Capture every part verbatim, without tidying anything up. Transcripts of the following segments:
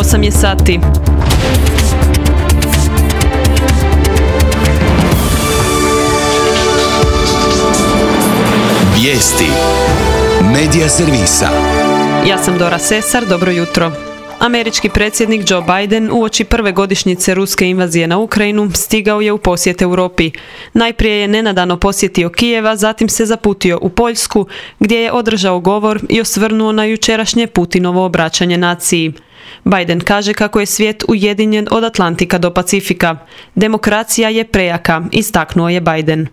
osam je sati. Vijesti Medija servisa. Ja sam Dora Sesar, dobro jutro. Američki predsjednik Joe Biden uoči prve godišnjice ruske invazije na Ukrajinu stigao je u posjet Europi. Najprije je nenadano posjetio Kijeva, zatim se zaputio u Poljsku, gdje je održao govor i osvrnuo na jučerašnje Putinovo obraćanje naciji. Biden kaže kako je svijet ujedinjen od Atlantika do Pacifika. Demokracija je prejaka, istaknuo je Biden.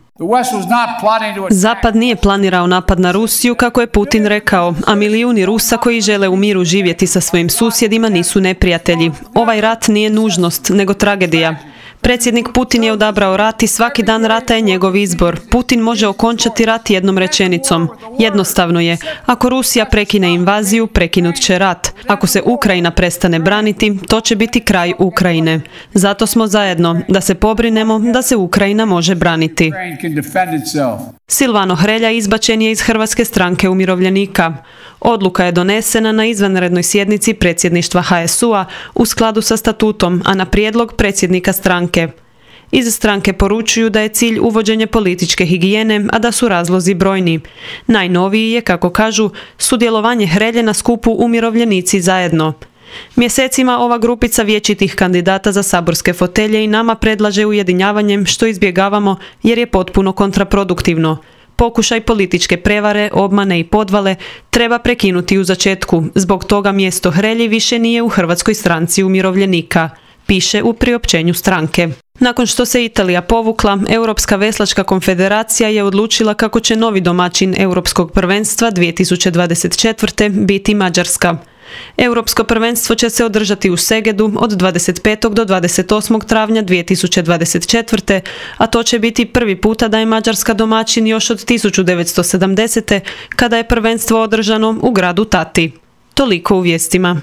Zapad nije planirao napad na Rusiju, kako je Putin rekao, a milijuni Rusa koji žele u miru živjeti sa svojim susjedima nisu neprijatelji. Ovaj rat nije nužnost, nego tragedija. Predsjednik Putin je odabrao rat i svaki dan rata je njegov izbor. Putin može okončati rat jednom rečenicom. Jednostavno je, ako Rusija prekine invaziju, prekinut će rat. Ako se Ukrajina prestane braniti, to će biti kraj Ukrajine. Zato smo zajedno, da se pobrinemo da se Ukrajina može braniti. Silvano Hrelja izbačen je iz Hrvatske stranke umirovljenika. Odluka je donesena na izvanrednoj sjednici predsjedništva H S U-a u skladu sa statutom, a na prijedlog predsjednika stranke. Iz stranke poručuju da je cilj uvođenje političke higijene, a da su razlozi brojni. Najnoviji je, kako kažu, sudjelovanje Hrelje na skupu Umirovljenici zajedno. Mjesecima ova grupica vječitih kandidata za saborske fotelje i nama predlaže ujedinjavanjem, što izbjegavamo jer je potpuno kontraproduktivno. Pokušaj političke prevare, obmane i podvale treba prekinuti u začetku. Zbog toga mjesto Hrelji više nije u Hrvatskoj stranci umirovljenika, piše u priopćenju stranke. Nakon što se Italija povukla, Europska veslačka konfederacija je odlučila kako će novi domaćin Europskog prvenstva dvije tisuće dvadeset četvrte. biti Mađarska. Europsko prvenstvo će se održati u Segedu od dvadeset petog do dvadeset osmog travnja dvije tisuće dvadeset četvrte. a to će biti prvi puta da je Mađarska domaćin još od tisuću devetsto sedamdesete. kada je prvenstvo održano u gradu Tati. Toliko u vijestima.